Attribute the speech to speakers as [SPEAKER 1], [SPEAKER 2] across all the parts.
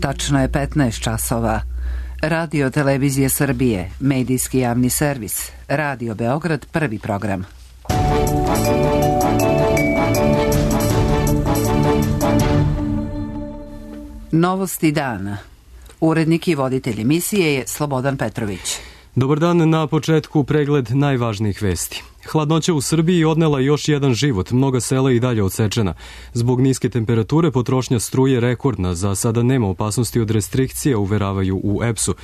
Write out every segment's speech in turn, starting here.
[SPEAKER 1] Tačno je 15 časova. Radio Televizije Srbije, medijski javni servis. Radio Beograd, prvi program. Novosti dana. Urednik i voditelj emisije je Slobodan Petrović.
[SPEAKER 2] Dobar dan, na početku pregled najvažnijih vesti. Hladnoća u Srbiji odnela još jedan život, mnoga sela i dalje odsečena. Zbog niske temperature potrošnja struje rekordna, za sada nema opasnosti od restrikcija, uveravaju u EPS-u.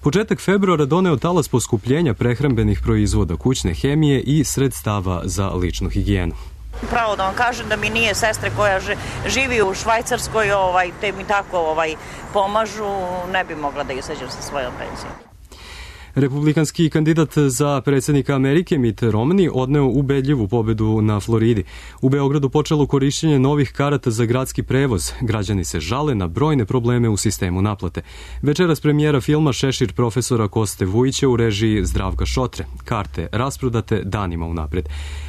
[SPEAKER 2] Početak februara doneo talas poskupljenja prehrambenih proizvoda, kućne hemije i sredstava za ličnu higijenu.
[SPEAKER 3] Pravo da vam kažem da mi nije sestre koja živi u Švajcarskoj, te mi tako pomažu, ne bi mogla da izađem sa svojom penzijom.
[SPEAKER 2] Republikanski kandidat za predsjednika Amerike Mitt Romney odneo ubedljivu pobedu na Floridi. U Beogradu počelo korišćenje novih karata za gradski prevoz. Građani se žale na brojne probleme u sistemu naplate. Večeras premijera filma Šešir profesora Koste Vujića u režiji Zdravka Šotre. Karte rasprodate danima unapred.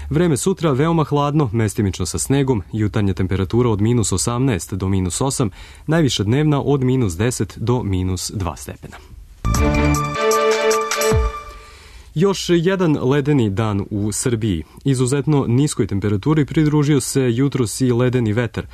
[SPEAKER 2] Vreme sutra veoma hladno, mestimično sa snegom, jutarnja temperatura od -18 do -8, najviša dnevna od -10 do -2 stepena. Još jedan ledeni dan u Srbiji. Izuzetno niskoj temperaturi pridružio se jutros i ledeni vetar.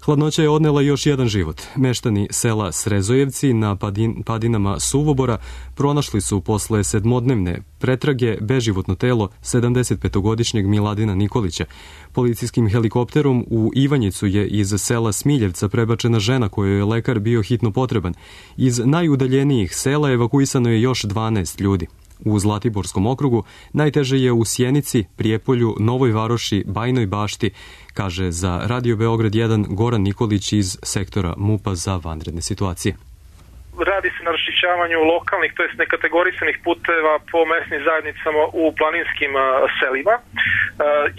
[SPEAKER 2] Hladnoća je odnela još jedan život. Meštani sela Srezojevci na padinama Suvobora pronašli su posle sedmodnevne pretrage beživotno telo 75-godišnjeg Miladina Nikolića. Policijskim helikopterom u Ivanjicu je iz sela Smiljevca prebačena žena kojoj je lekar bio hitno potreban. Iz najudaljenijih sela evakuisano je još 12 ljudi. U Zlatiborskom okrugu najteže je u Sjenici, Prijepolju, Novoj Varoši, Bajnoj Bašti, kaže za Radio Beograd 1 Goran Nikolić iz sektora MUP-a za vanredne situacije.
[SPEAKER 4] Radi se na raščišćavanju lokalnih, to jest nekategorisanih puteva po mesnim zajednicama u planinskim selima.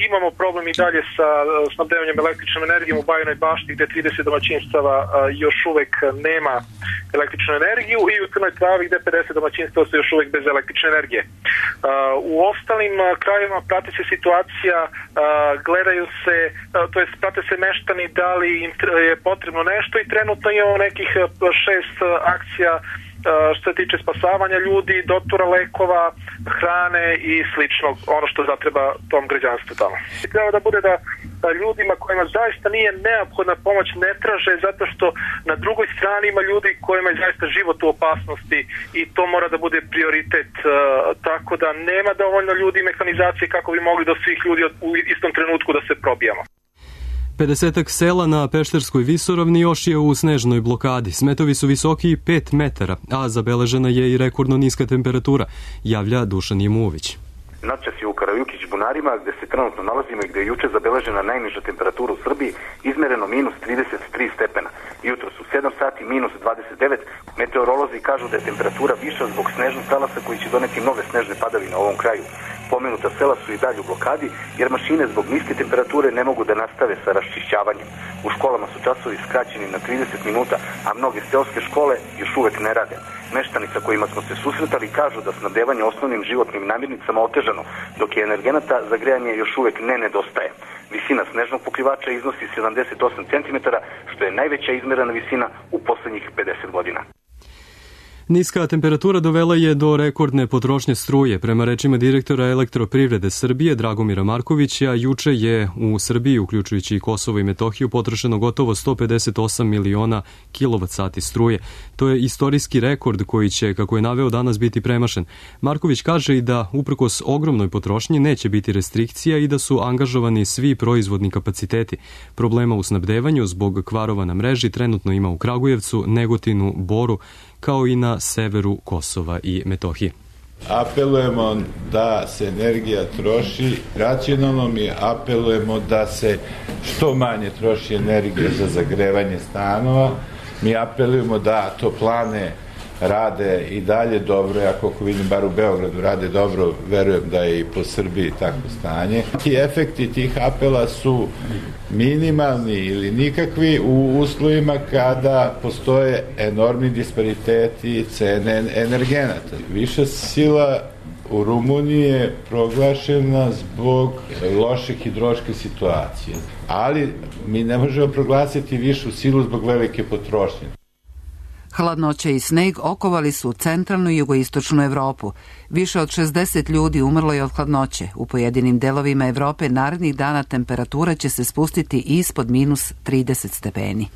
[SPEAKER 4] Imamo problem i dalje sa snabdevanjem električnom energijom u Bajnoj Bašti gde 30 domaćinstava još uvek nema električnu energiju i u Crnoj Travi gde 50 domaćinstava su još uvek bez električne energije. U ostalim krajevima prati se situacija, gledaju se, to jest prate se meštani da li im je potrebno nešto i trenutno imamo nekih 6 akcija što se tiče spasavanja ljudi, doktora lekova, hrane i slično, ono što zatreba tom građanstvu tamo. Treba da bude da ljudima kojima zaista nije neophodna pomoć ne traže, zato što na drugoj strani ima ljudi kojima je zaista život u opasnosti i to mora da bude prioritet, tako da nema dovoljno ljudi i mehanizacije kako bi mogli do svih ljudi u istom trenutku da se probijamo.
[SPEAKER 2] 50-ak sela na Pešterskoj visoravni još je u snežnoj blokadi. Smetovi su visoki 5 metara, a zabeležena je i rekordno niska temperatura, javlja Dušan Jemuović.
[SPEAKER 5] Noćas je u Karajukić-Bunarima, gde se trenutno nalazimo i gde je juče zabeležena najniža temperatura u Srbiji, izmereno -33 stepena. Jutro su 7 sati -29. Meteorolozi kažu da je temperatura viša zbog snežnog talasa koji će doneti nove snežne padavine u ovom kraju. Pomenuta sela su i dalje u blokadi, jer mašine zbog niske temperature ne mogu da nastave sa raščišćavanjem. U školama su časovi skraćeni na 30 minuta, a mnoge seoske škole još uvek ne rade. Meštani sa kojima smo se susretali kažu da snabdevanje osnovnim životnim namirnicama otežano, dok je energenata za grejanje još uvek ne nedostaje. Visina snežnog pokrivača iznosi 78 cm, što je najveća izmerena visina u poslednjih 50 godina.
[SPEAKER 2] Niska temperatura dovela je do rekordne potrošnje struje. Prema rečima direktora Elektroprivrede Srbije Dragomira Markovića, juče je u Srbiji, uključujući i Kosovo i Metohiju, potrošeno gotovo 158 miliona kWh struje. To je istorijski rekord koji će, kako je naveo, danas biti premašen. Marković kaže i da, uprkos ogromnoj potrošnji, neće biti restrikcija i da su angažovani svi proizvodni kapaciteti. Problema u snabdevanju zbog kvarova na mreži trenutno ima u Kragujevcu, Negotinu, Boru, kao i na severu Kosova i Metohije.
[SPEAKER 6] Apelujemo da se energija troši racionalno, mi apelujemo da se što manje troši energija za zagrevanje stanova, mi apelujemo da toplane rade i dalje dobro, ja koliko vidim bar u Beogradu rade dobro, verujem da je i po Srbiji takvo stanje. Ti efekti tih apela su minimalni ili nikakvi u uslovima kada postoje enormni dispariteti cene energenata. Viša sila u Rumuniji je proglašena zbog loše hidrološke situacije, ali mi ne možemo proglasiti višu silu zbog velike potrošnje.
[SPEAKER 1] Hladnoća i sneg okovali su centralnu i jugoistočnu Evropu. Više od 60 ljudi umrlo je od hladnoće. U pojedinim delovima Evrope narednih dana temperatura će se spustiti ispod minus 30 stepeni.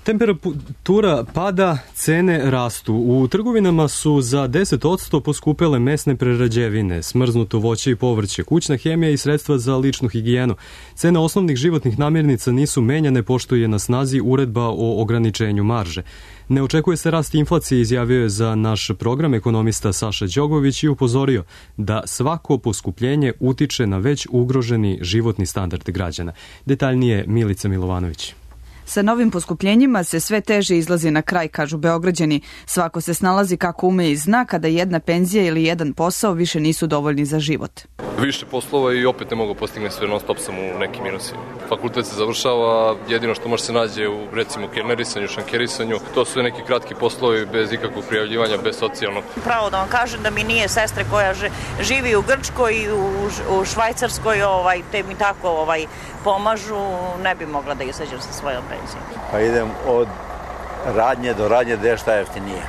[SPEAKER 2] Temperatura pada, cene rastu. U trgovinama su za 10% poskupele mesne prerađevine, smrznuto voće i povrće, kućna hemija i sredstva za ličnu higijenu. Cene osnovnih životnih namirnica nisu menjane pošto je na snazi uredba o ograničenju marže. Ne očekuje se rast inflacije, izjavio je za naš program ekonomista Saša Đogović i upozorio da svako poskupljenje utiče na već ugroženi životni standard građana. Detaljnije Milica Milovanović.
[SPEAKER 7] Sa novim poskupljenjima se sve teže izlazi na kraj, kažu Beograđani. Svako se snalazi kako ume i zna kada jedna penzija ili jedan posao više nisu dovoljni za život.
[SPEAKER 8] Više poslova i opet ne mogu postigne sve, non stop sam u nekim minusima. Fakultet se završava, jedino što može se nađe u recimo kernerisanju, šankerisanju, to su neki kratki poslovi bez ikakvog prijavljivanja, bez socijalnog.
[SPEAKER 3] Pravo da vam kažem da mi nije sestre koja živi u Grčkoj i u Švajcarskoj, te mi tako pomažu, ne bi mogla da izađem sa svojom penzijom.
[SPEAKER 9] Pa idem od radnje do radnje gde je šta jeftinije.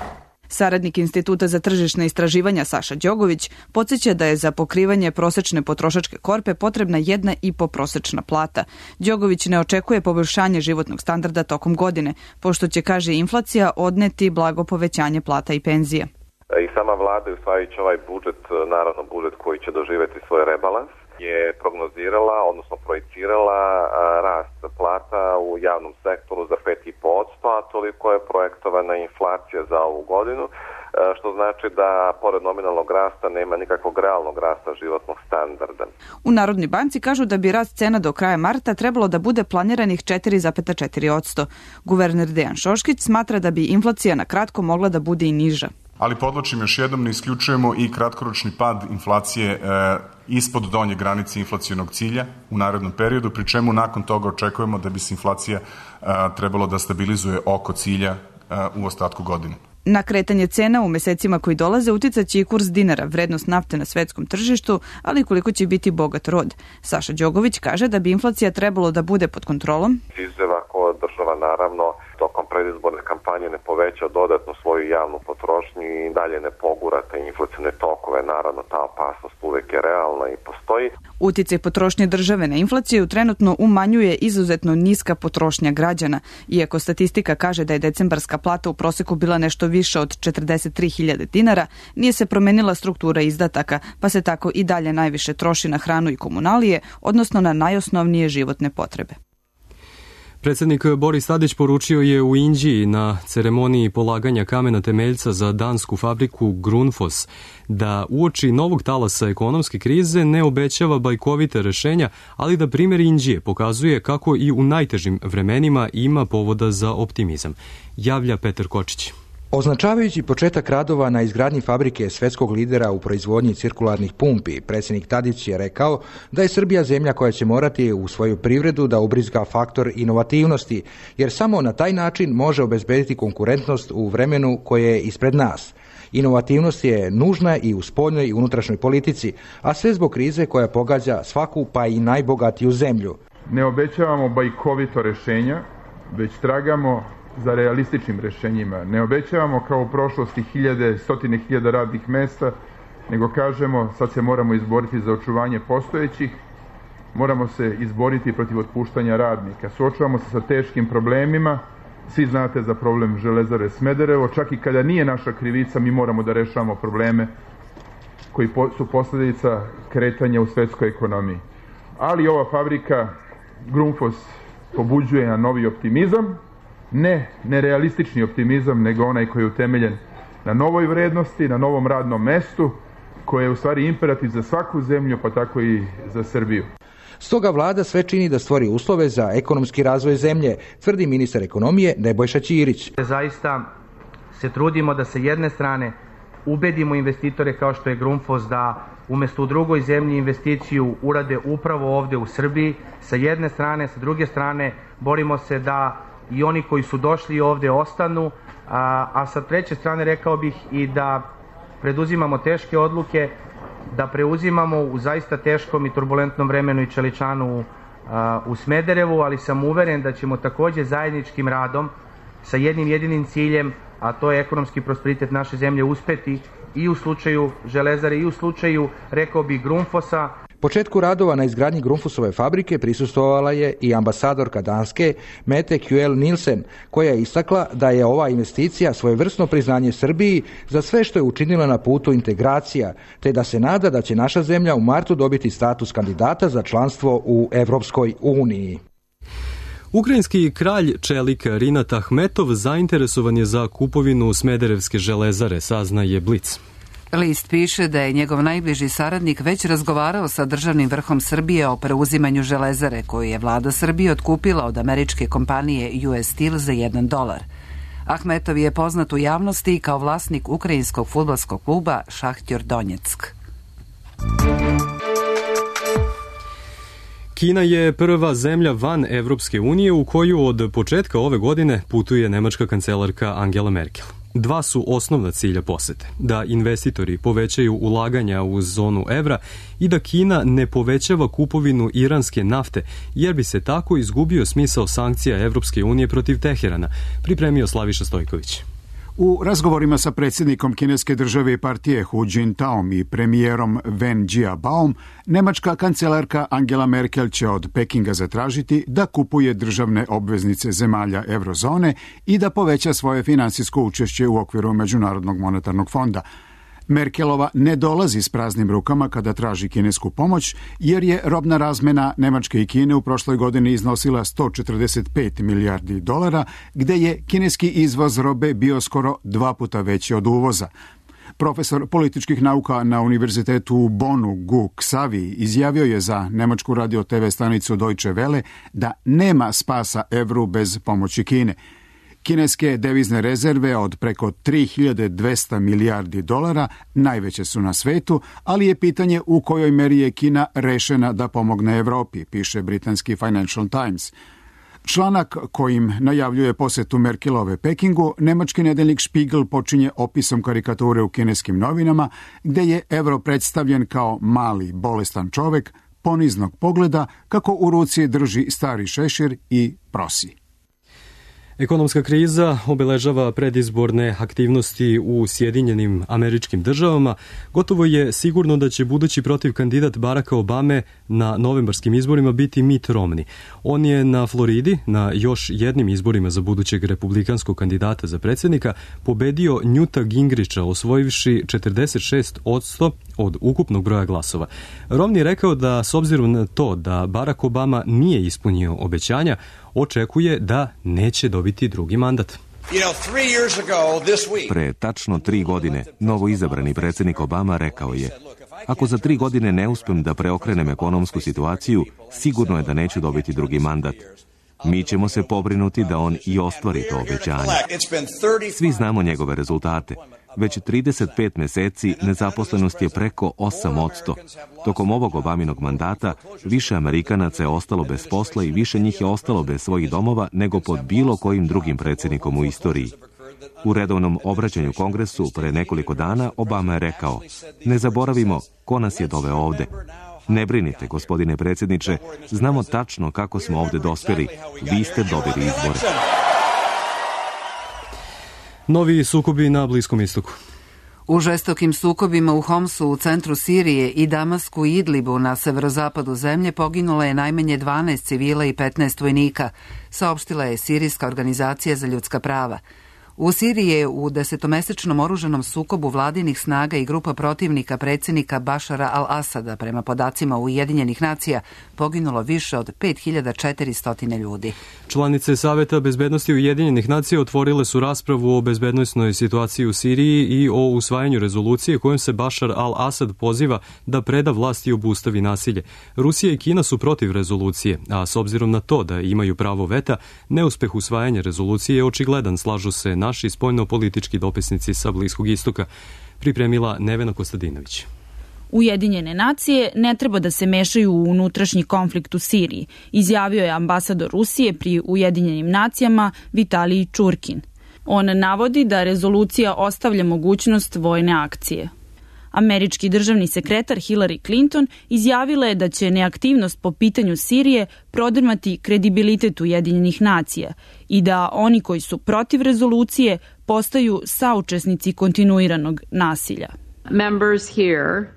[SPEAKER 7] Saradnik Instituta za tržišne istraživanja Saša Đogović podsjeća da je za pokrivanje prosečne potrošačke korpe potrebna 1,5 prosečna plata. Đogović ne očekuje poboljšanje životnog standarda tokom godine, pošto će, kaže, inflacija odneti blago povećanje plata i penzija.
[SPEAKER 10] I sama vlada, usvajajući ovaj budžet, naravno budžet koji će doživjeti svoj rebalans, je prognozirala, odnosno projicirala rast plata u javnom sektoru za 5,5%, a toliko je projektovana inflacija za ovu godinu, što znači da pored nominalnog rasta nema nikakvog realnog rasta životnog standarda.
[SPEAKER 7] U Narodnoj banci kažu da bi rast cena do kraja marta trebalo da bude planiranih 4,4%. Guverner Dejan Šoškić smatra da bi inflacija na kratko mogla da bude i niža.
[SPEAKER 11] Ali podlačim još jednom, ne isključujemo i kratkoročni pad inflacije ispod donje granice inflacionog cilja u narednom periodu, pri čemu nakon toga očekujemo da bi se inflacija trebalo da stabilizuje oko cilja u ostatku godine.
[SPEAKER 7] Na kretanje cena u mesecima koji dolaze uticaće i kurs dinara, vrednost nafte na svetskom tržištu, ali koliko će biti bogat rod. Saša Đogović kaže da bi inflacija trebalo da bude pod kontrolom.
[SPEAKER 10] Izuzev ako država naravno tokom predizborne kampanje ne poveća dodatno svoju javnu potrošnju i dalje ne pogura te inflacione tokove, naravno ta opasnost uvek je realna i postoji.
[SPEAKER 7] Uticaj potrošnje države na inflaciju trenutno umanjuje izuzetno niska potrošnja građana, iako statistika kaže da je decembarska plata u proseku bila nešto više od 43.000 dinara, nije se promenila struktura izdataka, pa se tako i dalje najviše troši na hranu i komunalije, odnosno na najosnovnije životne potrebe.
[SPEAKER 2] Predsjednik Boris Tadić poručio je u Inđiji na ceremoniji polaganja kamena temeljca za dansku fabriku Grundfos da uoči novog talasa ekonomske krize ne obećava bajkovite rešenja, ali da primjer Inđije pokazuje kako i u najtežim vremenima ima povoda za optimizam. Javlja Petar Kočić.
[SPEAKER 12] Označavajući početak radova na izgradnji fabrike svetskog lidera u proizvodnji cirkularnih pumpi, predsjednik Tadić je rekao da je Srbija zemlja koja će morati u svoju privredu da ubrizga faktor inovativnosti, jer samo na taj način može obezbediti konkurentnost u vremenu koje je ispred nas. Inovativnost je nužna i u spoljnoj i unutrašnjoj politici, a sve zbog krize koja pogađa svaku pa i najbogatiju zemlju.
[SPEAKER 13] Ne obećavamo bajkovito rešenja, već tragamo za realističnim rešenjima. Ne obećavamo kao u prošlosti stotine hiljada radnih mesta, nego kažemo sad se moramo izboriti za očuvanje postojećih, moramo se izboriti protiv otpuštanja radnika. Suočavamo se sa teškim problemima, svi znate za problem Železare Smederevo, čak i kada nije naša krivica mi moramo da rešavamo probleme koji su posljedica kretanja u svetskoj ekonomiji. Ali ova fabrika Grundfos pobuđuje na novi optimizam, ne nerealistični optimizam, nego onaj koji je utemeljen na novoj vrednosti, na novom radnom mestu, koje je u stvari imperativ za svaku zemlju, pa tako i za Srbiju.
[SPEAKER 12] Stoga vlada sve čini da stvori uslove za ekonomski razvoj zemlje, tvrdi ministar ekonomije Nebojša Ćirić.
[SPEAKER 14] Zaista se trudimo da sa jedne strane ubedimo investitore kao što je Grundfos da umjesto u drugoj zemlji investiciju urade upravo ovde u Srbiji. Sa jedne strane, sa druge strane borimo se da i oni koji su došli ovde ostanu, a sa treće strane rekao bih i da preduzimamo teške odluke, da preuzimamo u zaista teškom i turbulentnom vremenu i čeličanu u Smederevu, ali sam uveren da ćemo takođe zajedničkim radom sa jednim jedinim ciljem a to je ekonomski prosperitet naše zemlje, uspeti i u slučaju Železare i u slučaju, rekao bi, Grundfosa.
[SPEAKER 12] Početku radova na izgradnji Grundfosove fabrike prisustvovala je i ambasadorka Danske Mette Kjell Nielsen, koja je istakla da je ova investicija svojevrsno priznanje Srbiji za sve što je učinila na putu integracija, te da se nada da će naša zemlja u martu dobiti status kandidata za članstvo u Evropskoj uniji.
[SPEAKER 2] Ukrajinski kralj čelika Rinat Ahmetov zainteresovan je za kupovinu Smederevske železare, saznaje Blic.
[SPEAKER 1] List piše da je njegov najbliži saradnik već razgovarao sa državnim vrhom Srbije o preuzimanju železare koju je vlada Srbije otkupila od američke kompanije US Steel za $1. Ahmetov je poznat u javnosti kao vlasnik ukrajinskog fudbalskog kluba Šahtjor Donjeck.
[SPEAKER 2] Kina je prva zemlja van Evropske unije u koju od početka ove godine putuje nemačka kancelarka Angela Merkel. Dva su osnovna cilja posete, da investitori povećaju ulaganja u zonu evra i da Kina ne povećava kupovinu iranske nafte, jer bi se tako izgubio smisao sankcija Evropske unije protiv Teherana, pripremio Slaviša Stojković.
[SPEAKER 15] U razgovorima sa predsjednikom kineske države i partije Hu Jintaom i premijerom Wen Jiabaom, nemačka kancelarka Angela Merkel će od Pekinga zatražiti da kupuje državne obveznice zemalja eurozone i da poveća svoje finansijsko učešće u okviru Međunarodnog monetarnog fonda. Merkelova ne dolazi s praznim rukama kada traži kinesku pomoć, jer je robna razmena Nemačke i Kine u prošloj godini iznosila $145 milijardi, gde je kineski izvoz robe bio skoro 2 puta veći od uvoza. Profesor političkih nauka na univerzitetu u Bonu, Gu Xavi, izjavio je za nemačku radio TV stanicu Deutsche Welle da nema spasa evru bez pomoći Kine. Kineske devizne rezerve od preko $3.200 milijardi najveće su na svetu, ali je pitanje u kojoj meri je Kina rešena da pomogne Evropi, piše britanski Financial Times. Članak kojim najavljuje posetu Merkelove Pekingu, nemački nedeljnik Spiegel počinje opisom karikature u kineskim novinama, gde je evro predstavljen kao mali, bolestan čovek, poniznog pogleda, kako u ruci drži stari šešir i prosi.
[SPEAKER 2] Ekonomska kriza obeležava predizborne aktivnosti u Sjedinjenim Američkim Državama. Gotovo je sigurno da će budući protiv kandidat Baracka Obame na novembarskim izborima biti Mitt Romney. On je na Floridi, na još jednim izborima za budućeg republikanskog kandidata za predsjednika, pobedio Newta Gingricha, osvojivši 46% od ukupnog broja glasova. Romney rekao da, s obzirom na to da Barack Obama nije ispunio obećanja, očekuje da neće dobiti drugi mandat.
[SPEAKER 16] Pre tačno 3 godine, novo izabrani predsjednik Obama rekao je: ako za 3 godine ne uspem da preokrenem ekonomsku situaciju, sigurno je da neću dobiti drugi mandat. Mi ćemo se pobrinuti da on i ostvari to obećanje. Svi znamo njegove rezultate. Već 35 meseci nezaposlenost je preko 8%. Tokom ovog Obaminog mandata više Amerikanaca je ostalo bez posla i više njih je ostalo bez svojih domova nego pod bilo kojim drugim predsjednikom u istoriji. U redovnom obraćanju Kongresu pre nekoliko dana Obama je rekao: ne zaboravimo ko nas je doveo ovde. Ne brinite, gospodine predsjedniče, znamo tačno kako smo ovde dospeli. Vi ste dobili izbore.
[SPEAKER 2] Novi sukobi na Bliskom istoku.
[SPEAKER 1] U žestokim sukobima u Homsu u centru Sirije i Damasku i Idlibu na severozapadu zemlje poginulo je najmanje 12 civila i 15 vojnika, saopštila je Sirijska organizacija za ljudska prava. U Siriji je u 10-mesečnom oružanom sukobu vladinih snaga i grupa protivnika predsjednika Bašara al-Asada, prema podacima Ujedinjenih nacija, poginulo više od 5400 ljudi.
[SPEAKER 2] Članice Saveta bezbednosti Ujedinjenih nacija otvorile su raspravu o bezbednosnoj situaciji u Siriji i o usvajanju rezolucije kojom se Bašar al-Asad poziva da preda vlast i obustavi nasilje. Rusija i Kina su protiv rezolucije, a s obzirom na to da imaju pravo veta, neuspeh usvajanja rezolucije je očigledan, slažu se naši spoljno-politički dopisnici sa Bliskog istoka, pripremila Nevena Kostadinović.
[SPEAKER 17] Ujedinjene nacije ne treba da se mešaju u unutrašnji konflikt u Siriji, izjavio je ambasador Rusije pri Ujedinjenim nacijama Vitalij Čurkin. On navodi da rezolucija ostavlja mogućnost vojne akcije. Američki državni sekretar Hillary Clinton izjavila je da će neaktivnost po pitanju Sirije prodrmati kredibilitet Ujedinjenih nacija i da oni koji su protiv rezolucije postaju saučesnici kontinuiranog nasilja.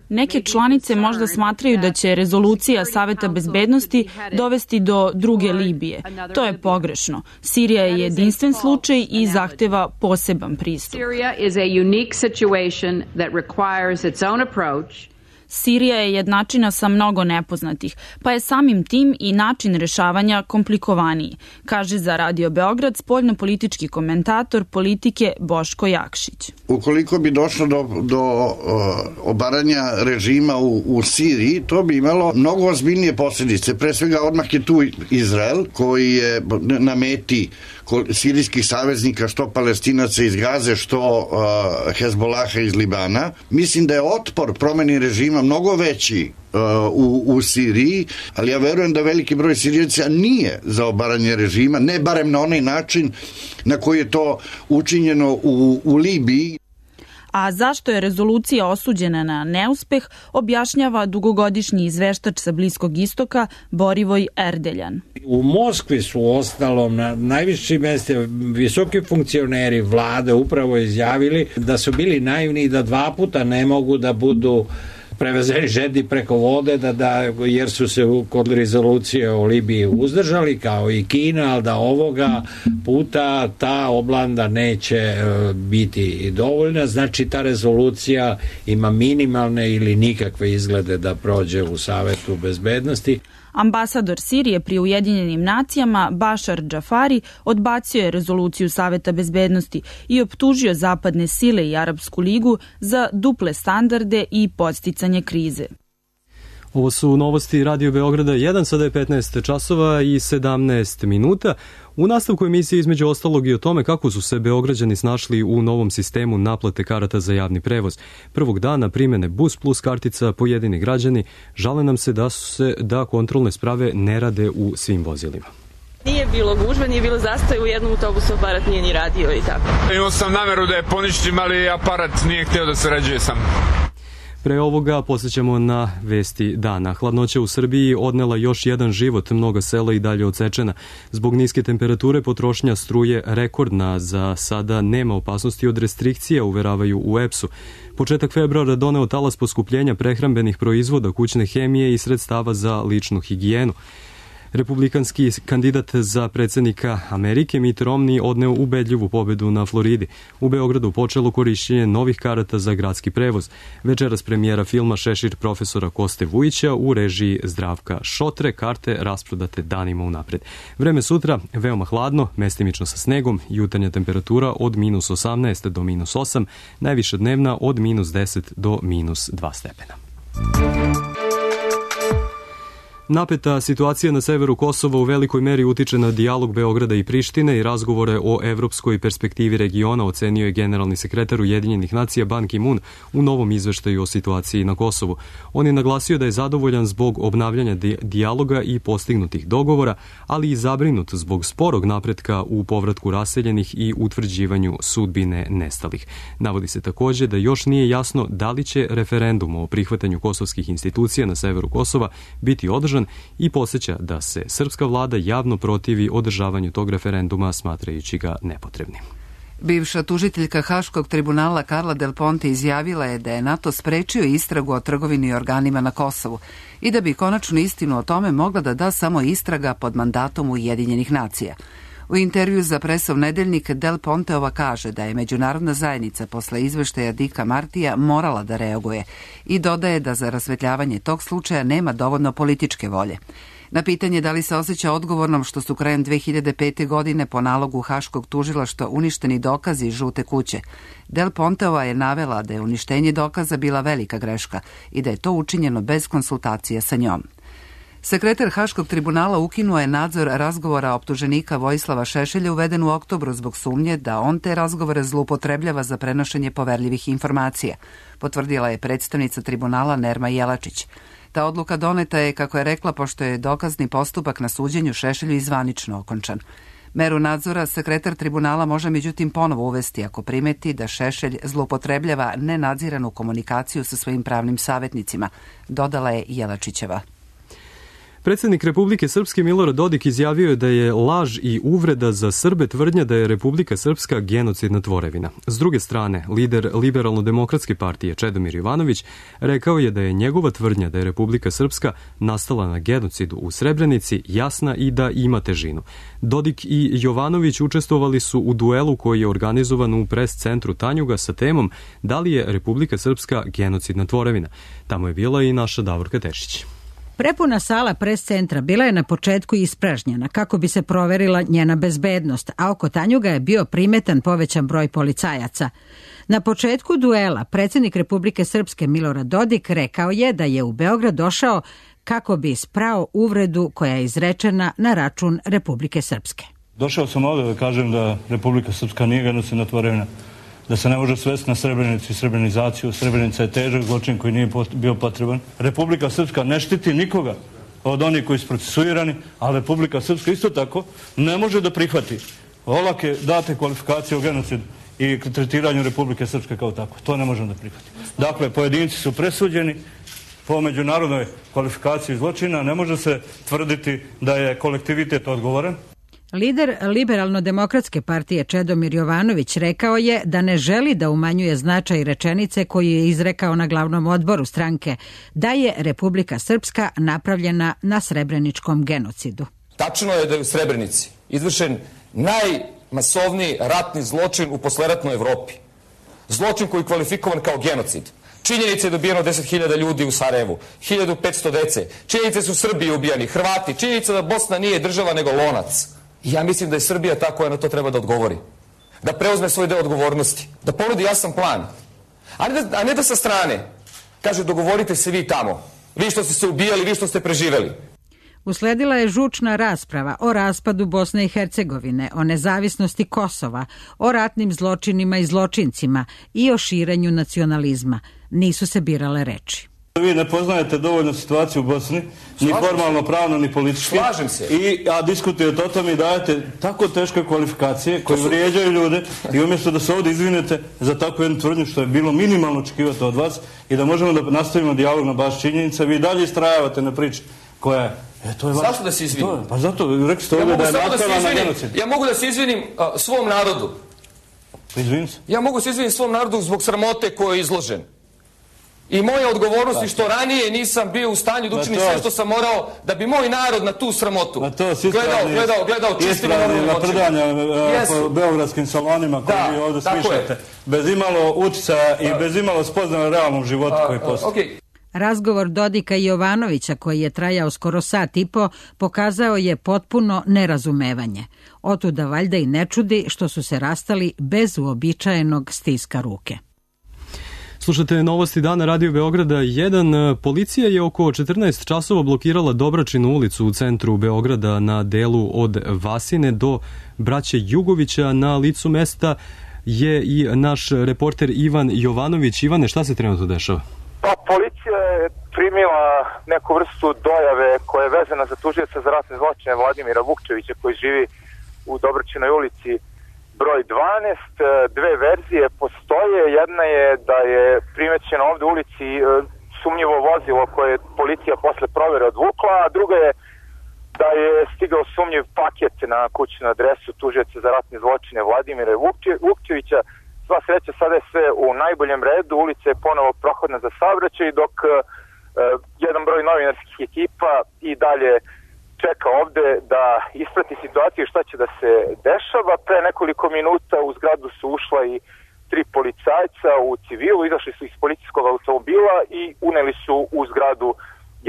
[SPEAKER 17] Neke članice možda smatraju da će rezolucija Saveta bezbednosti dovesti do druge Libije. To je pogrešno. Sirija je jedinstven slučaj i zahteva poseban pristup. Sirija je jednačina sa mnogo nepoznatih, pa je samim tim i način rešavanja komplikovaniji, kaže za Radio Beograd spoljnopolitički komentator politike Boško Jakšić.
[SPEAKER 18] Ukoliko bi došlo do obaranja režima u Siriji, to bi imalo mnogo ozbiljnije posljedice. Pre svega odmah je tu Izrael koji je na meti sirijskih saveznika, što Palestinaca iz Gaze, što Hezbolaha iz Libana. Mislim da je otpor promeni režima mnogo veći u Siriji, ali ja verujem da veliki broj Sirijaca nije za obaranje režima, ne barem na onaj način na koji je to učinjeno u Libiji.
[SPEAKER 17] A zašto je rezolucija osuđena na neuspeh, objašnjava dugogodišnji izveštač sa Bliskog istoka Borivoj Erdeljan.
[SPEAKER 19] U Moskvi su ostalom na najvišim mestima visoki funkcioneri vlade upravo izjavili da su bili naivni i da 2 puta ne mogu da budu prevezeni žedi preko vode, jer su se kod rezolucije o Libiji uzdržali, kao i Kina, ali da ovoga puta ta oblanda neće biti dovoljna. Znači, ta rezolucija ima minimalne ili nikakve izglede da prođe u Savetu bezbednosti.
[SPEAKER 17] Ambasador Sirije pri Ujedinjenim nacijama Bašar Džafari odbacio je rezoluciju Saveta bezbednosti i optužio zapadne sile i Arapsku ligu za duple standarde i podsticanje krize.
[SPEAKER 2] Ovo su novosti Radio Beograda 1, sada je 15 časova i 17 minuta. U nastavku emisije između ostalog i o tome kako su se Beograđani snašli u novom sistemu naplate karata za javni prevoz. Prvog dana primene Bus Plus kartica pojedini građani žale nam se da kontrolne sprave ne rade u svim vozilima.
[SPEAKER 20] Nije bilo gužve, nije bilo zastoja, u jednom autobusu aparat nije ni radio i tako.
[SPEAKER 21] Imao sam nameru da je poništim, ali aparat nije htio da sarađuje sam.
[SPEAKER 2] Pre ovoga posjećamo na vesti dana. Hladnoća u Srbiji odnela još jedan život, mnoga sela i dalje odsečena. Zbog niske temperature potrošnja struje rekordna, za sada nema opasnosti od restrikcija, uveravaju u EPS-u. Početak februara doneo talas poskupljenja prehrambenih proizvoda, kućne hemije i sredstava za ličnu higijenu. Republikanski kandidat za predsjednika Amerike Mitt Romney odneo ubedljivu pobedu na Floridi. U Beogradu počelo korišćenje novih karata za gradski prevoz. Večeras premijera filma Šešir profesora Koste Vujića u režiji Zdravka Šotre, karte rasprodate danima unapred. Vreme sutra veoma hladno, mestimično sa snegom, jutarnja temperatura od -18 do -8, najviša dnevna od -10 do -2 stepena. Napeta situacija na severu Kosova u velikoj meri utiče na dijalog Beograda i Prištine i razgovore o evropskoj perspektivi regiona, ocenio je generalni sekretar Ujedinjenih nacija Ban Ki-moon u novom izveštaju o situaciji na Kosovu. On je naglasio da je zadovoljan zbog obnavljanja dijaloga i postignutih dogovora, ali i zabrinut zbog sporog napretka u povratku raseljenih i utvrđivanju sudbine nestalih. Navodi se također da još nije jasno da li će referendum o prihvatanju kosovskih institucija na severu Kosova biti održan i podsjeća da se srpska vlada javno protivi održavanju tog referenduma, smatrajući ga nepotrebnim.
[SPEAKER 1] Bivša tužiteljka Haškog tribunala Carla Del Ponte izjavila je da je NATO sprečio istragu o trgovini i organima na Kosovu i da bi konačnu istinu o tome mogla da da samo istraga pod mandatom Ujedinjenih nacija. U intervju za Presov nedeljnik Del Ponteova kaže da je međunarodna zajednica posle izveštaja Dika Martija morala da reaguje i dodaje da za rasvetljavanje tog slučaja nema dovoljno političke volje. Na pitanje da li se osjeća odgovornom što su krajem 2005. godine po nalogu Haškog tužilaštva uništeni dokazi iz Žute kuće, Del Ponteova je navela da je uništenje dokaza bila velika greška i da je to učinjeno bez konsultacija sa njom. Sekretar Haškog tribunala ukinuo je nadzor razgovora optuženika Vojislava Šešelja uveden u oktobru zbog sumnje da on te razgovore zloupotrebljava za prenošenje poverljivih informacija, potvrdila je predstavnica tribunala Nerma Jelačić. Ta odluka doneta je, kako je rekla, pošto je dokazni postupak na suđenju Šešelju izvanično okončan. Meru nadzora sekretar tribunala može međutim ponovo uvesti ako primeti da Šešelj zloupotrebljava nenadziranu komunikaciju sa svojim pravnim savjetnicima, dodala je Jelačićeva.
[SPEAKER 2] Predsjednik Republike Srpske Milorad Dodik izjavio je da je laž i uvreda za Srbe tvrdnja da je Republika Srpska genocidna tvorevina. S druge strane, lider Liberalno-demokratske partije Čedomir Jovanović rekao je da je njegova tvrdnja da je Republika Srpska nastala na genocidu u Srebrenici jasna i da ima težinu. Dodik i Jovanović učestvovali su u duelu koji je organizovan u pres centru Tanjuga sa temom da li je Republika Srpska genocidna tvorevina. Tamo je bila i naša Davorka Tešić.
[SPEAKER 4] Prepuna sala pres centra bila je na početku ispražnjena kako bi se proverila njena bezbednost, a oko Tanjuga je bio primetan povećan broj policajaca. Na početku duela predsjednik Republike Srpske Milorad Dodik rekao je da je u Beograd došao kako bi sprao uvredu koja je izrečena na račun Republike Srpske.
[SPEAKER 22] Došao sam ovdje da kažem da Republika Srpska nije genocidna tvorevina, da se ne može svesti na Srebrenicu i srebrenizaciju. Srebrenica je težak zločin koji nije bio potreban. Republika Srpska ne štiti nikoga od onih koji su procesuirani, a Republika Srpska isto tako ne može da prihvati olake date kvalifikacije o genocidu i tretiranju Republike Srpske kao tako. To ne možemo da prihvatimo. Dakle, pojedinci su presuđeni po međunarodnoj kvalifikaciji zločina. Ne može se tvrditi da je kolektivitet odgovoran.
[SPEAKER 4] Lider Liberalno-demokratske partije Čedomir Jovanović rekao je da ne želi da umanjuje značaj rečenice koju je izrekao na glavnom odboru stranke, da je Republika Srpska napravljena na srebreničkom genocidu.
[SPEAKER 23] Tačno je da je u Srebrenici izvršen najmasovniji ratni zločin u posleratnoj Evropi. Zločin koji je kvalifikovan kao genocid. Činjenica je dobijeno 10.000 ljudi u Sarajevu, 1.500 dece. Činjenice su Srbi ubijani, Hrvati. Činjenica da Bosna nije država nego lonac. I ja mislim da je Srbija ta koja na to treba da odgovori. Da preuzme svoj deo odgovornosti. Da ponudi jasan plan. A ne da sa strane kaže dogovorite se vi tamo. Vi što ste se ubijali, vi što ste preživeli.
[SPEAKER 4] Usledila je žučna rasprava o raspadu Bosne i Hercegovine, o nezavisnosti Kosova, o ratnim zločinima i zločincima i o širenju nacionalizma. Nisu se birale reči.
[SPEAKER 22] Vi ne poznajete dovoljno situaciju u Bosni, ni formalno, pravno, ni politički.
[SPEAKER 23] Slažem se.
[SPEAKER 22] A diskutujete o tome i dajete tako teške kvalifikacije koje vrijeđaju ljude i umjesto da se ovdje izvinete za takvu jednu tvrdnju što je bilo minimalno očekivati od vas i da možemo da nastavimo dijalog na baš činjenica, vi dalje istrajavate na priči koja je...
[SPEAKER 23] Zašto da se izvinim?
[SPEAKER 22] Pa zato, rekli ste ovdje da je nastavila na genocid.
[SPEAKER 23] Ja mogu da se izvinim svom narodu.
[SPEAKER 22] Izvinim se.
[SPEAKER 23] Ja mogu se izvinim svom narodu zbog sramote koje je izložen. I moja odgovornost je što ranije nisam bio u stanju da učinim sve što sam morao da bi moj narod na tu sramotu gledao čistima normalnim očima.
[SPEAKER 22] Napredanja po beogradskim salonima koji vi ovdje smišljate. Bez imalo uticaja i bez imalo spoznaja realnom životu koji postoji.
[SPEAKER 4] Razgovor Dodika i Jovanovića, koji je trajao skoro sat i po, pokazao je potpuno nerazumevanje. Otuda valjda i ne čudi što su se rastali bez uobičajenog stiska ruke.
[SPEAKER 2] Slušate novosti dana Radio Beograda 1. Policija je oko 14 časova blokirala Dobračinu ulicu u centru Beograda na delu od Vasine do Braće Jugovića. Na licu mesta je i naš reporter Ivan Jovanović. Ivane, šta se trenutno dešava?
[SPEAKER 24] Pa, policija je primila neku vrstu dojave koja je vezana za tužioca za ratne zločine Vladimira Vukčevića koji živi u Dobračinoj ulici broj 12. Dve verzije postoje. Jedna je da je primećeno ovdje u ulici sumnjivo vozilo koje je policija posle provere odvukla, a druga je da je stigao sumnjiv paket na kućnu adresu tužioca za ratne zločine Vladimira Vukčevića. Sva sreća, sada je sve u najboljem redu, ulica je ponovo prohodna za saobraćaj, dok jedan broj novinarskih ekipa i dalje čeka ovde da isprati situaciju šta će da se dešava. Pre nekoliko minuta u zgradu su ušla i 3 policajca u civilu, izašli su iz policijskog automobila i uneli su u zgradu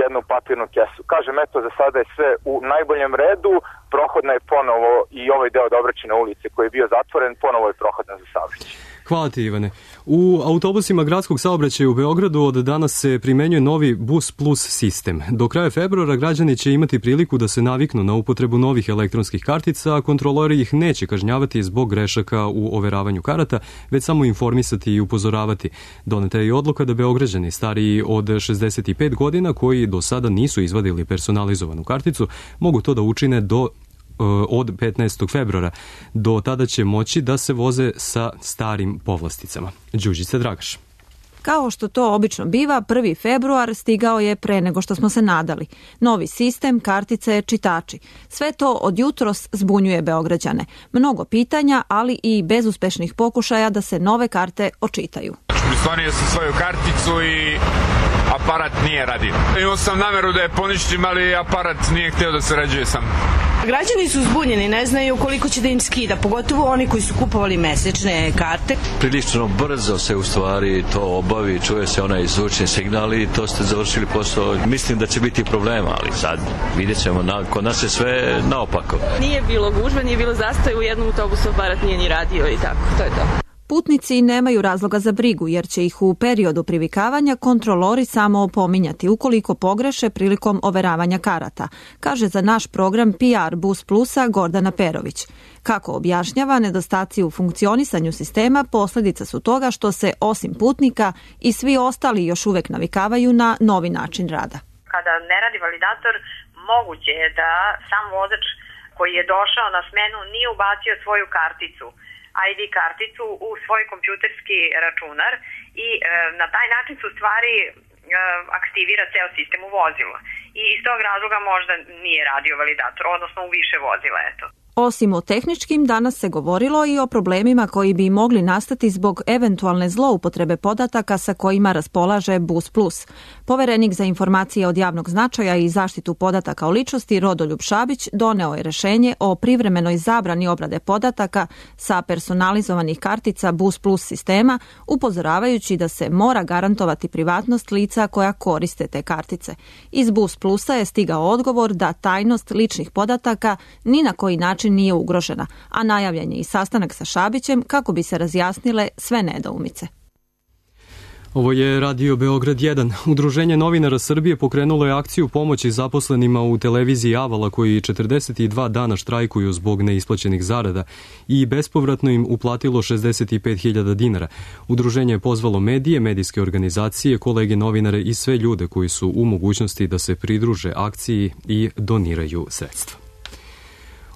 [SPEAKER 24] jednu papirnu kesu. Kažem, eto, za sada je sve u najboljem redu, prohodna je ponovo i ovaj deo Dobračine ulice koji je bio zatvoren, ponovo je prohodna za saobraćaj.
[SPEAKER 2] Hvala ti, Ivane. U autobusima gradskog saobraćaja u Beogradu od danas se primenjuje novi Bus Plus sistem. Do kraja februara građani će imati priliku da se naviknu na upotrebu novih elektronskih kartica, a kontrolori ih neće kažnjavati zbog grešaka u overavanju karata, već samo informisati i upozoravati. Doneta je i odluka da Beograđani stariji od 65 godina koji do sada nisu izvadili personalizovanu karticu mogu to da učine do od 15. februara. Do tada će moći da se voze sa starim povlasticama. Đuđica Dragaš.
[SPEAKER 3] Kao što to obično biva, 1. februar stigao je pre nego što smo se nadali. Novi sistem, kartice, čitači. Sve to od jutros zbunjuje Beograđane. Mnogo pitanja, ali i bezuspešnih pokušaja da se nove karte očitaju.
[SPEAKER 21] Prislonio sam svoju karticu i aparat nije radio. Imao sam nameru da je poništim, ali aparat nije hteo da sarađuje sam.
[SPEAKER 5] Građani su zbunjeni, ne znaju koliko će da im skida, pogotovo oni koji su kupovali mesečne karte.
[SPEAKER 6] Prilično brzo se u stvari to obavi, čuje se onaj zvučni signal i to ste završili posao. Mislim da će biti problema, ali sad vidjet ćemo, kod nas je sve naopako.
[SPEAKER 20] Nije bilo gužve, nije bilo zastoja, u jednom autobusu aparat nije ni radio i tako, to je to.
[SPEAKER 3] Putnici nemaju razloga za brigu jer će ih u periodu privikavanja kontrolori samo opominjati ukoliko pogreše prilikom overavanja karata, kaže za naš program PR Bus Plusa Gordana Perović. Kako objašnjava, nedostaci u funkcionisanju sistema posljedica su toga što se osim putnika i svi ostali još uvek navikavaju na novi način rada.
[SPEAKER 8] Kada ne radi validator, moguće je da sam vozač koji je došao na smenu nije ubacio svoju karticu, ID karticu u svoj kompjuterski računar i na taj način se u stvari aktivira ceo sistem u vozilu. I iz tog razloga možda nije radio validator, odnosno u više vozila, eto.
[SPEAKER 3] Osim o tehničkim, danas se govorilo i o problemima koji bi mogli nastati zbog eventualne zloupotrebe podataka sa kojima raspolaže Bus Plus. Poverenik za informacije od javnog značaja i zaštitu podataka o ličnosti Rodoljub Šabić doneo je rešenje o privremenoj zabrani obrade podataka sa personalizovanih kartica Bus Plus sistema, upozoravajući da se mora garantovati privatnost lica koja koriste te kartice. Iz Bus Plusa je stigao odgovor da tajnost ličnih podataka ni na koji način nije ugrožena, a najavljen je i sastanak sa Šabićem kako bi se razjasnile sve nedoumice.
[SPEAKER 2] Ovo je Radio Beograd 1. Udruženje novinara Srbije pokrenulo je akciju pomoći zaposlenima u televiziji Avala koji 42 dana štrajkuju zbog neisplaćenih zarada i bespovratno im uplatilo 65.000 dinara. Udruženje je pozvalo medije, medijske organizacije, kolege novinare i sve ljude koji su u mogućnosti da se pridruže akciji i doniraju sredstva.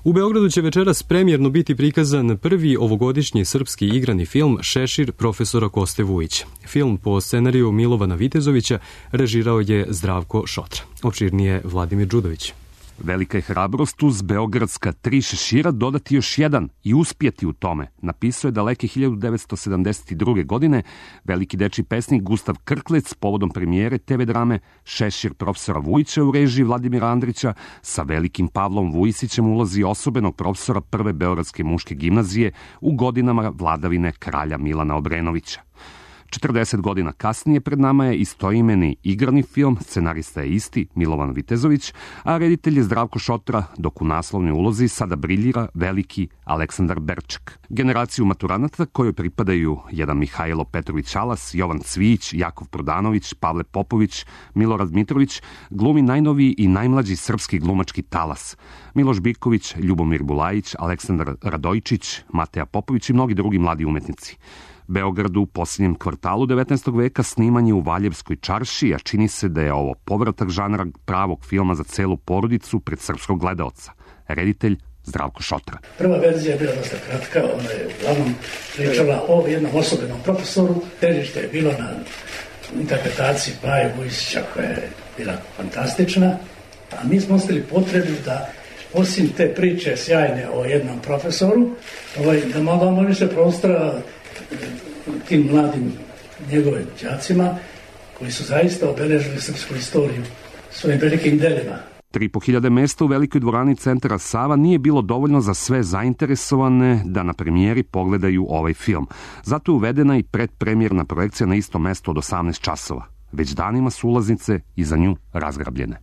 [SPEAKER 2] U Beogradu će večeras premijerno biti prikazan prvi ovogodišnji srpski igrani film Šešir profesora Koste Vujića. Film po scenariju Milovana Vitezovića režirao je Zdravko Šotra. Opširnije Vladimir Đudović.
[SPEAKER 25] Velika je hrabrost uz beogradska 3 šešira dodati još jedan i uspjeti u tome, napisao je daleke 1972. godine veliki dečiji pesnik Gustav Krklec povodom premijere TV drame Šešir profesora Vujića u režiji Vladimira Andrića sa velikim Pavlom Vujisićem ulazi osobenog profesora prve beogradske muške gimnazije u godinama vladavine kralja Milana Obrenovića. 40 godina kasnije pred nama je istoimeni igrani film, scenarista je isti, Milovan Vitezović, a reditelj je Zdravko Šotra, dok u naslovnoj ulozi sada briljira veliki Aleksandar Berček. Generaciju maturanata kojoj pripadaju jedan Mihajlo Petrović Alas, Jovan Cvijić, Jakov Prodanović, Pavle Popović, Milorad Mitrović, glumi najnoviji i najmlađi srpski glumački talas. Miloš Biković, Ljubomir Bulajić, Aleksandar Radojčić, Mateja Popović i mnogi drugi mladi umetnici. Beogradu u posljednjem kvartalu 19. veka sniman je u Valjevskoj čaršiji, a čini se da je ovo povratak žanra pravog filma za celu porodicu pred srpskog gledaoca. Reditelj Zdravko Šotra.
[SPEAKER 26] Prva verzija je bila dosta kratka, ona je uglavnom pričala o jednom osobenom profesoru. Težište je bilo na interpretaciji Paje Vujisića koja je bila fantastična, a mi smo ostali potrebu da osim te priče sjajne o jednom profesoru, da malo više prostora tim mladim njegovim đacima koji su zaista obeležili srpsku istoriju svojim velikim delima.
[SPEAKER 25] 3.500 mesta u velikoj dvorani centra Sava nije bilo dovoljno za sve zainteresovane da na premijeri pogledaju ovaj film. Zato je uvedena i predpremjerna projekcija na isto mesto od 18 časova. Već danima su ulaznice i za nju razgrabljene.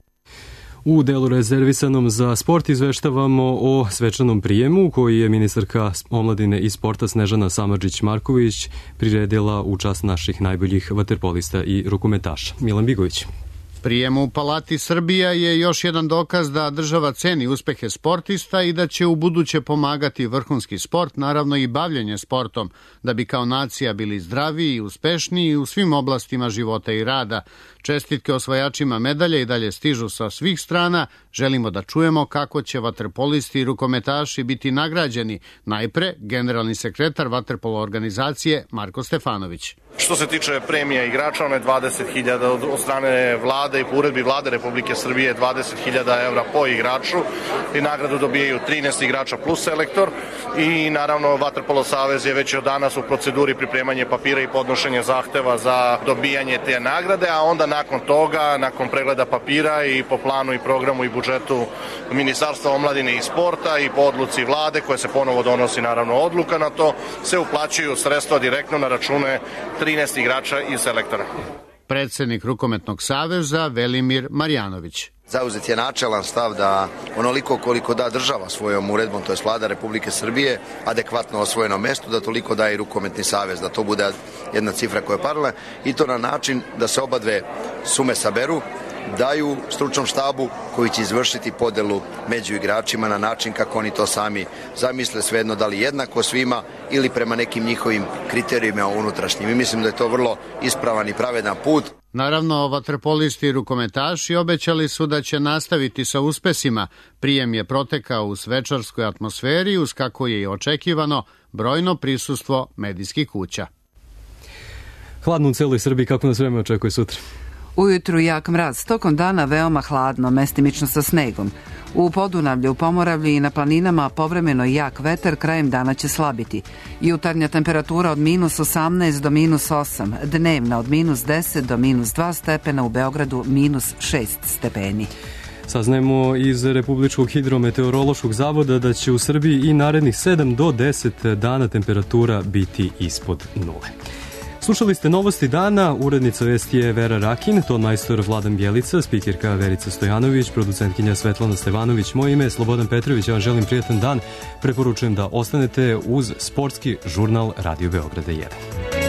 [SPEAKER 2] U delu rezervisanom za sport izveštavamo o svečanom prijemu koji je ministarka omladine i sporta Snežana Samardžić-Marković priredila u čast naših najboljih vaterpolista i rukometaša. Milan Bigović.
[SPEAKER 15] Prijem u Palati Srbija je još jedan dokaz da država ceni uspehe sportista i da će u buduće pomagati vrhunski sport, naravno i bavljenje sportom, da bi kao nacija bili zdraviji i uspešniji u svim oblastima života i rada. Čestitke osvajačima medalja i dalje stižu sa svih strana. Želimo da čujemo kako će vaterpolisti i rukometaši biti nagrađeni. Najpre, generalni sekretar vaterpolo organizacije Marko Stefanović.
[SPEAKER 7] Što se tiče premija igrača, ono je 20.000 od strane vlade i po uredbi vlade Republike Srbije 20.000 evra po igraču i nagradu dobijaju 13 igrača plus selektor i naravno Vaterpolo savez je već od danas u proceduri pripremanje papira i podnošenje zahteva za dobijanje te nagrade, a onda nakon toga, nakon pregleda papira i po planu i programu i budžetu Ministarstva omladine i sporta i po odluci vlade koje se ponovo donosi naravno odluka na to, se uplaćuju sredstva direktno na račune 13 igrača i selektora.
[SPEAKER 15] Predsednik Rukometnog saveza Velimir Marjanović.
[SPEAKER 9] Zauzet je načelan stav da onoliko koliko da država svojom uredbom, to je vlada Republike Srbije, adekvatno osvojenom mestu, da toliko da i Rukometni savez, da to bude jedna cifra koja je paralelna i to na način da se oba dve sume saberu, daju stručnom štabu koji će izvršiti podelu među igračima na način kako oni to sami zamisle, svejedno da li jednako svima ili prema nekim njihovim kriterijima unutrašnjim. I mislim da je to vrlo ispravan i pravedan put.
[SPEAKER 15] Naravno, vaterpolisti i rukometaši obećali su da će nastaviti sa uspesima. Prijem je protekao u svečarskoj atmosferi uz, kako je i očekivano, brojno prisustvo medijskih kuća.
[SPEAKER 2] Hladno u celoj Srbiji, kako nas vreme očekuje sutra?
[SPEAKER 1] Ujutru jak mraz, tokom dana veoma hladno, mestimično sa snegom. U Podunavlju, u Pomoravlju i na planinama povremeno jak vetar, krajem dana će slabiti. Jutarnja temperatura od -18 do -8, dnevna od -10 do -2 stepena, u Beogradu -6 stepeni.
[SPEAKER 2] Saznajemo iz Republičkog hidrometeorološkog zavoda da će u Srbiji i narednih 7 do 10 dana temperatura biti ispod nule. Slušali ste novosti dana, urednica vesti je Vera Rakin, ton majstor Vladan Bjelica, spikirka Verica Stojanović, producentkinja Svetlana Stevanović, moje ime je Slobodan Petrović, ja vam želim prijatan dan, preporučujem da ostanete uz sportski žurnal Radio Beograda 1.